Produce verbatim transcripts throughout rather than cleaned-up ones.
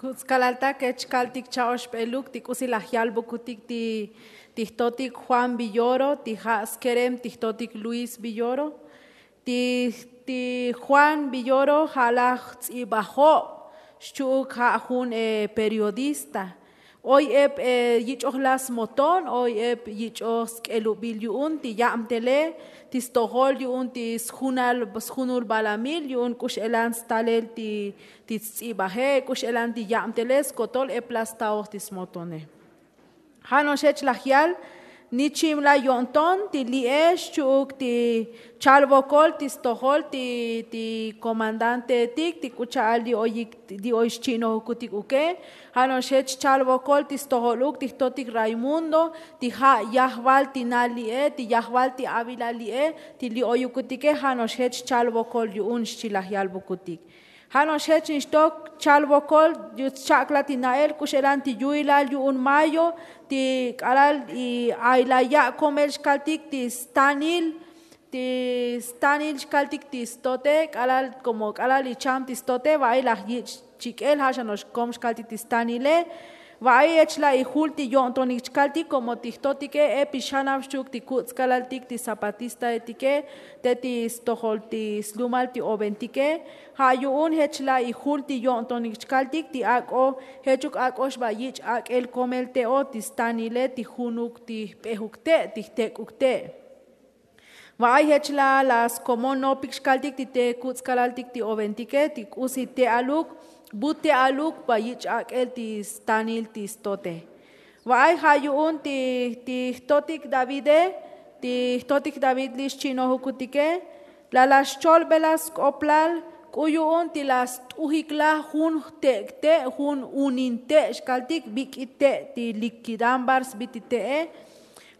Kuts' kalaltak ech kaltik cha'oxp'eluk ti k'usi laj yalbukutik ti jtotik juan villoro ti ja' skerem ti jtotik luis villoro. Ti juan villoro ja' laj jtz'ibajo', xchu'uk ja' jun periodista. Oy ep yich'ojlaj smoton, oy ep yich'oj sk'elubil yu'un ti yabtele ti stojol yu'un ti sjunal sjunul balamil yu'un k'u x'elan stalel ti sts'ibaje' k'u x'elan ti yabtele skotol ep laj staoj ti smotone. Ja' no'ox jech laj yal nichimlaj yo'nton ti li'e xchu'uk ti chal vokol ti stojol ti komandanteetik ti k'u cha'al li oy xchi'nojukutik uke. Ja' no'ox jech chal vokol ti stojoluk ti jtotik raymundo, ti ja' yajval ti na' li'e ti yajval ti avilal li'e ti li oyukutike. Ja' no'ox jech chal vokol yu'un xchi laj yalbukutik. Ja' no'ox jech nixtok chal vokol, cha'kla ti na'el k'u x'elan ti yu'ilal yu'un mayo ti k'alal ay laj ya' komel xkaltik ti stanil ti stanil xkaltik ti stote k'alal komo k'alal icham ti stote va'ay laj yich' chik'el ja' xa no'ox kom xkaltik ti stanile. Va'ay jech laj ijul ti yo'ntonik chkaltik komo ti jtotike ep ixanab xchu'uk ti kuts' kalaltik ti zapatistaetike te ti stojol ti slumal ti oventike. Ja' yu'un jech laj ijul ti yo'ntonik chkaltik ti ak'o jechuk ak'o xba yich' ak'el komel te'o ti stanile ti junuk ti jp'ejuk te' ti jtek'uk te'. Va'ay jech laj laj skomon nopik xkaltik ti te kuts' kalaltik ti oventike ti k'usi te'aluk, bu te'aluk ba yich' ak'el ti stanil ti stote. Va'ay ja' yu'un ti jtotik davide ti jtotik david li xchi'nojukutike. Laj laj xcholbelaj sk'oplal k'u yu'un ti laj st'ujiklaj jun jtek' te' jun unin te' xkaltik bik'i te' ti likidambar sbi ti te'e.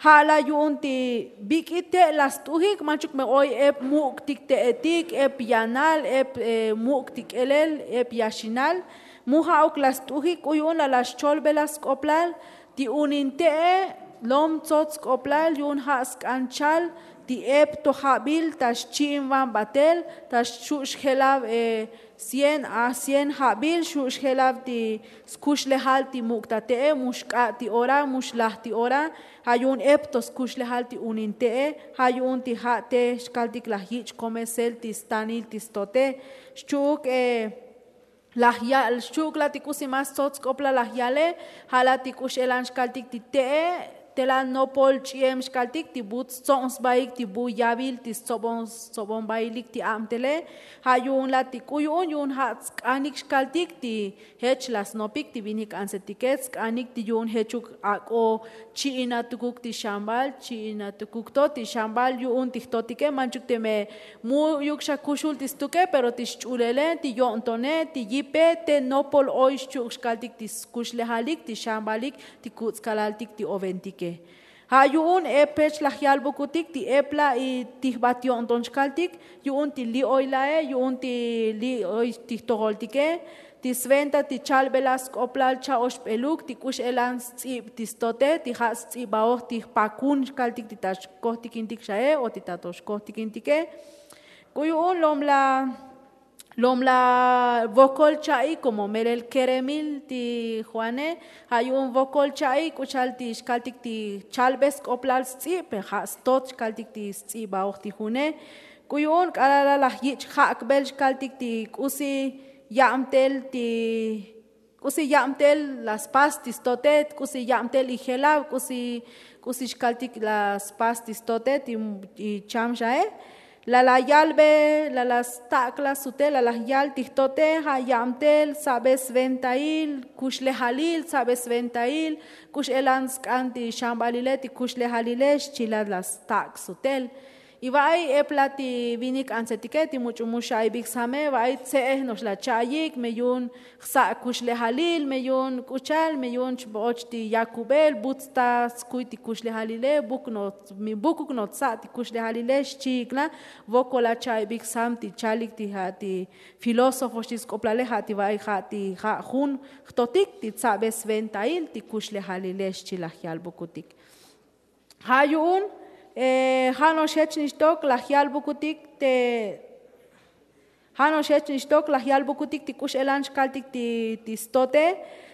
Ja' la yu'un ti bik'i te' la st'ujik manchuk me oy ep muk'tik te'etik ep yanal ep muk'tik k'elel ep yaxinal. Mu ja'uk la st'ujik k'u yu'un la la xcholbelaj sk'oplal ti unin te'e lom tsots sk'oplal yu'un ja' sk'an chal ti ep to jabil ta xchi'invan batel ta xu' xjelab cien a cien jabil xu' xjelab ti skuxlejal ti muk' ta te'e mu xk'a' ti ora mu xlaj ti ora. Ja' yu'un ep to skuxlejal ti unin te'e ja' yu'un ti ja' te xkaltik laj yich' komesel ti stanil ti stote. Xchu'uk laj yal xchu'uk la ti k'usi mas tsots sk'oplal laj yale. Ja' la ti k'u x'elan xkaltik ti te'e te la nopol ch'iem xkaltik ti bu tstsob sbaik ti bu yavil ti stsobon stsobonbailik ti abtele. Ja' yu'un la ti k'u yu'un yu'un ja' tsk'anik xkaltik ti jech la snopik ti vinik antsetike tsk'anik ti yu'un jechuk ak'o chi'inatukuk ti xambal chi'inatukuk to ti xambal yu'un ti jtotike manchuk teme mu'yuk xa kuxul ti stuke pero ti xch'ulele ti yo'ntone ti yipe te nopol oy xchu'uk xkaltik ti skuxlejalik ti xambalik ti kuts' kalaltik ti oventike. Ja' yu'un ep jech laj yalbukutik ti ep la' ti jbat yo'nton xkaltik yu'un ti li' oy la'e yu'un ti li' oy ti jtojoltike ti sventa ti chalbelaj sk'oplal cha'oxbeluk ti k'u x'elan sts'ib ti stote ti ja' sts'ibaoj ti jpakun xkaltik ti ta xkojtikintik xae o ti ta to xkojtikintike. K'u yu'un lom la lom la vokol cha'i komo melel keremil ti juane. Ja' yu'un vokol cha'i k'u cha'al ti xkaltik ti chalbe sk'oplal sts'ib pe ja' stot xkaltik ti sts'ibaoj ti june. K'u yu'un k'alal la laj yich' jak'bel xkaltik ti k'usi yabtel ti k'usi yabtel la spas ti stote k'usi yabtel ijelab k'usi k'usi xkaltik la spas ti stote ti icham xae. La la yalbe la la stak' la sute la laj yal ti jtote ja' yabtel tsabe sventail kuxlejalil tsabe sventail k'u x'elan sk'an ti xambalile ti kuxlejalile xchilat la stak' sutel. Y va'ay ep la ti vinik antsetike ti much'u mu xa'ibik same va'ay tse'ej no'ox la cha'ayik me yu'un jsa' kuxlejalil me yu'un k'u cha'al me yu'un chb'och ti yakubel bu tsta skuy ti kuxlejalile buk no'ox bukuk no'ox tsa' ti kuxlejalile xchi'ik la. Vokol la cha'ibik sam ti chalik ti ja' ti filósofo xchi sk'oplale ja' ti va'ay ja' ti ja' jun jtotik ti tsabe sventail ti kuxlejalile xchi laj yalbukutik. Ja' yu'un ja' no'ox jech nixtok laj yalbukutik te Ja' no'ox jech nixtok laj yalbukutik ti k'u x'elan xkaltik ti stote.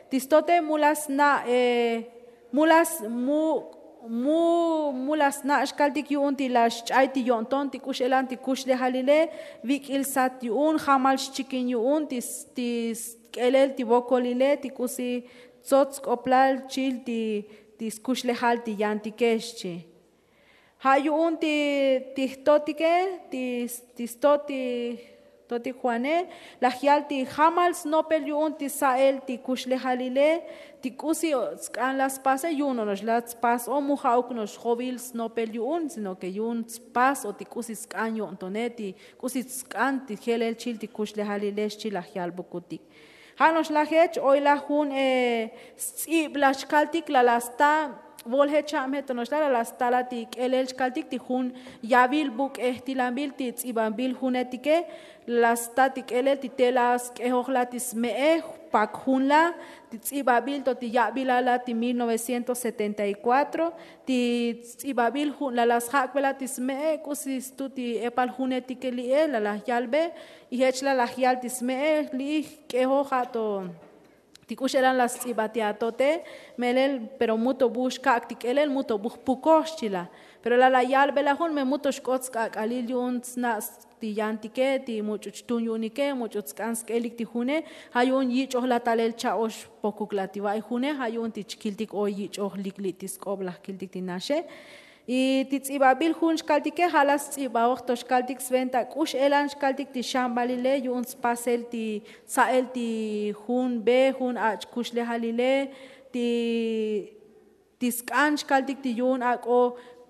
Ti stote mu la sna' mu la sna' mu la sna' xkaltik yu'un ti la xch'ay ti yo'nton ti k'u x'elan ti kuxlejalile. Vik'il sat yu'un jamal xchikin yu'un ti sk'elel ti vokolile ti k'usi tsots sk'oplal chil ti skuxlejal ti yantike xchi. Ja' yu'un ti jtotike ti stot ti jtotik juane laj yal ti jamal snopel yu'un ti sa'el ti kuxlejalile. Ti k'usi sk'an la spase yu'un no'ox la spas o mu ja'uk no'ox jovil snopel yu'un sino ke yu'un spas o ti k'usi sk'an yo'ntone ti k'usi sk'an ti jelel chil ti kuxlejalile xchi laj yalbukutik. Ja' no'ox laj jech oy laj jun sts'ib laj xkaltik la la sta. Volje cha'am jetono'ox la la la sta la ti k'elel xkaltik ti jun yavil buk'e jtilanbil ti ts'ibanbil junetike. La la sta ti k'elel ti te la sk'ejoj la ti sme'e. Pak jun la ti ts'ibabil to ti ya'bil la la ti mil novecientos setenta y kuatro ti ts'ibabil jun la la sjak'be la ti sme'e k'usi stu ti epal junetike li'e la la yalbe. Y jech la laj yal ti sme'e li'ij k'ejoj ja' to ti k'u x'elan la sts'iba ti atote. Melel pero mu to bu xkak' ti k'elel mu to bu jpukoj xchi la. Pero la la yalbe la jun me mu to xk'ot sk'ak'alil yu'un sna' ti yantike ti much'u chtun yu'unike much'u tsk'an sk'elik ti june. Ja' yu'un yich'oj la talel cha'ox pokuk la ti va'i june ja' yu'un ti chkiltik oy yich'oj lik li' ti sk'ob laj kiltik ti naxe. Y ti ts'ibabil jun xkaltike ja' la sts'ibajoj to xkaltik sventa k'u x'elan xkaltik ti xambalile yu'un spasel ti sa'el ti jun be jun ach' kuxlejalile ti ti sk'an xkaltik ti yu'un ak'o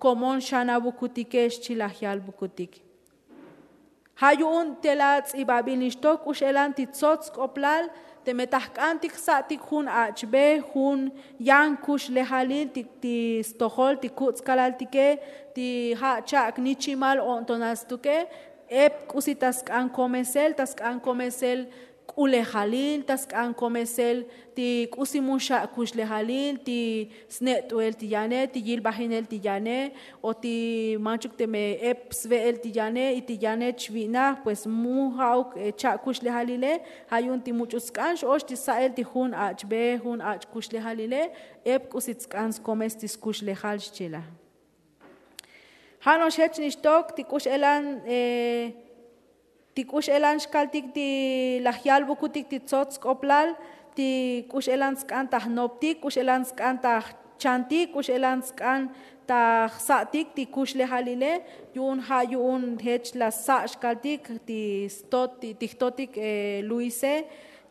komon xanabukutike xchi laj yalbukutik. Ja' yu'un te la ts'ibabil nixtok k'u x'elan ti tsots sk'oplal teme ta jk'antik jsa'tik jun ach'be jun yan kuxlejalil ti stojol ti kuts' kalaltike ti ja' cha'ak nichimal o'ntonal stuke. Ep k'usi ta sk'an komesel ta sk'an komesel k'ulejalil ta sk'an komesel ti k'usi mu xa' kuxlejalil ti sne't'uel ti yane ti yilbajinel ti yane o ti manchuk teme ep sve'el ti yane y ti yane chvi'naj pues mu ja'uk cha' kuxlejalile. Ja' yu'un ti much'u tsk'an x'ox ti sa'el ti jun ach'be jun ach' kuxlejalile ep k'usi tsk'an skomes ti skuxlejal xchi la. Ja' no'ox jech nixtok ti k'u x'elan ti k'u x'elan xkaltik ti laj yalbukutik ti tsots sk'oplal ti k'u x'elan tsk'an ta jnoptik k'u x'elan tsk'an ta jchantik k'u x'elan tsk'an ta jsa'tik ti kuxlejalile. Yu'un ja' yu'un jech la sa' xkaltik ti stot ti jtotik luise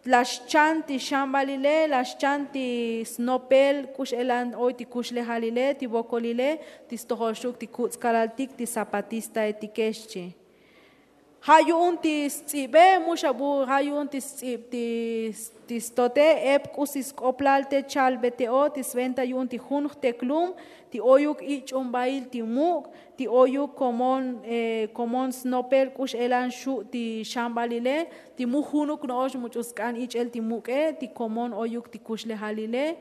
la xchan ti xambalile la xchan ti snopel k'u x'elan oy ti kuxlejalile ti vokolile ti stojol xuk ti kuts' kalaltik ti zapatistaetike xchi. Ja' yu'un ti sts'ibe mu xa bu ja' yu'un ti sts'ib ti stote ep k'usi sk'oplal te chalbe te'o ti sventa yu'un ti jun jteklum ti oyuk ich'umbail ti muk' ti oyuk komon komon snopel k'u x'elan xu' ti xambalile ti mu junuk no'ox much'u sk'an ich'el ti muk'e ti komon oyuk ti kuxlejalile.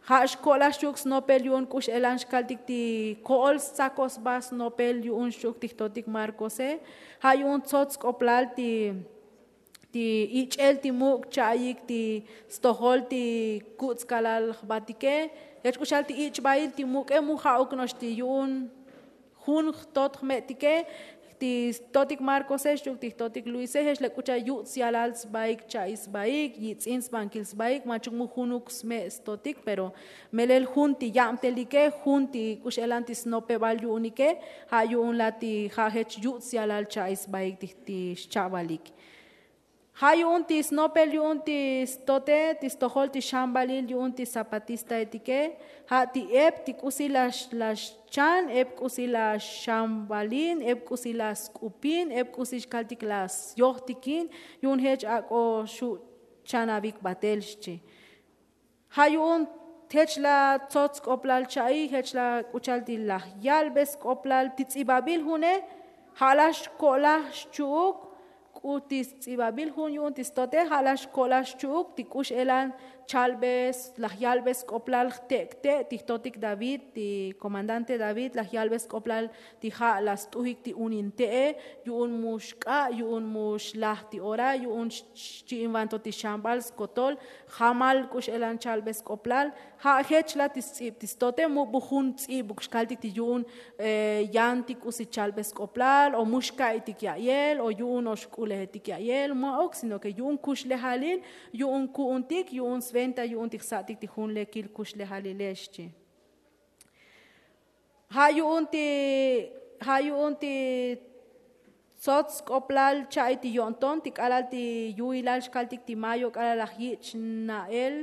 Ja' xko'laj xchi'uk snopel yu'un k'u x'elan xkaltik ti ko'ol stsakoj sba snopel yu'un xchi'uk ti jtotik markose. Ja' yu'un tsots sk'oplal ti ti ich'el ti muk' cha'ayik ti stojol ti kuts' kalal jbatike. Jech k'u xal ti ich'bail ti muk'e mu ja'uk no'ox ti yu'un jun jtot jme'tike ti jtotik markose xchi'uk ti jtotik luise jech la k'u cha'al yuts' yalal sbaik cha'i sbaik yitz'in sbankil sbaik manchuk mu junuk sme' stotik pero melel jun ti yabtelike jun ti k'u x'elan ti snopebal yu'unike. Ja' yu'un la ti ja' jech yuts' yalal cha'i sbaik ti xcha'balik. Ja' yu'un ti snopel yu'un ti stote ti stojol ti xambalil yu'un ti zapatistaetike. Ja' ti ep ti k'usi la xchan ep k'usi la xambalin ep k'usi la sk'upin ep k'usi xkaltik la syojtikin yu'un jech ak'o xu' chanabik batel xchi. Ja' yu'un jech la tsots sk'oplal cha'i jech la k'u cha'al ti laj yalbe sk'oplal ti ts'ibabil june. Ja' la xko'laj xchu'uk Ti sts'ibabil jun yu'un ti stote ja' laj xko'lal xchu'uk ti k'u x'elan chalbe laj yalbe sk'oplal jtek'te' ti jtotik david ti komandante david laj yalbe sk'oplal ti ja' laj st'ujik ti unin te'e, yu'un mu xk'a' yu'un mu xlaj ti ora yu'un xchi'invanto ti xambal skotol. Jamal k'u x'elan chalbe sk'oplal. Ja' jech la ti sts'ib ti stote mu bu jun ts'ibuk xkaltik ti yu'un yantik k'usi chalbe sk'oplal o mu xka'itik ya'yel o yu'un o xk'ulejetik ya'yel ma'uk sino ke yu'un kuxlejalil yu'un ku'untik yu'un sventa yu'un ti jsa'tik ti jun lekil kuxlejalilex chi. Ja' yu'un ti ja' yu'un ti tsots sk'oplal cha'i ti yo'nton ti k'alal ti yu'ilal xkaltik ti mayo k'alal laj yich' na'el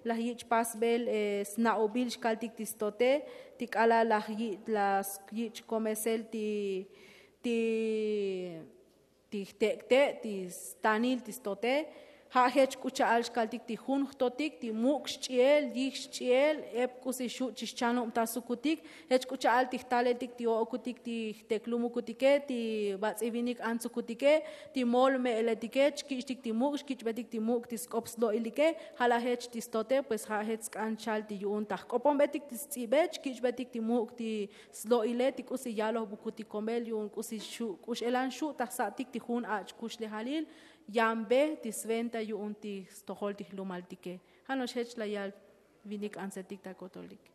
laj yich' pasbel sna'ubil xkaltik ti stote ti k'alal laj yich' komesel ti ti ti jtek'te' ti stanil ti stote. Ja' jech k'u cha'al xkaltik ti jun jtotik ti muk' xch'i'el yij xch'i'el ep k'usi xu' chi xchanubtasukutik. Jech k'u cha'al ti jtaleltik ti o'okutik ti jteklumukutike ti bats'i vinik antsukutike ti mol me'eletike chkich'tik ti muk' xkich'betik ti muk' ti sk'op slo'ilike. Ja' laj jech ti stote pues ja' jech sk'an chal ti yu'un ta jk'oponbetik ti sts'ibe chkich'betik ti muk' ti slo'ile ti k'usi yalojbukutik komel yu'un k'usi xu' k'u x'elan xu' ta jsa'tik ti jun ach' kuxlejalil yanbe ti sventa yu'un ti stojol ti jlumaltike. Ja' no'ox jech la yal vinik antsetik ta kotolik.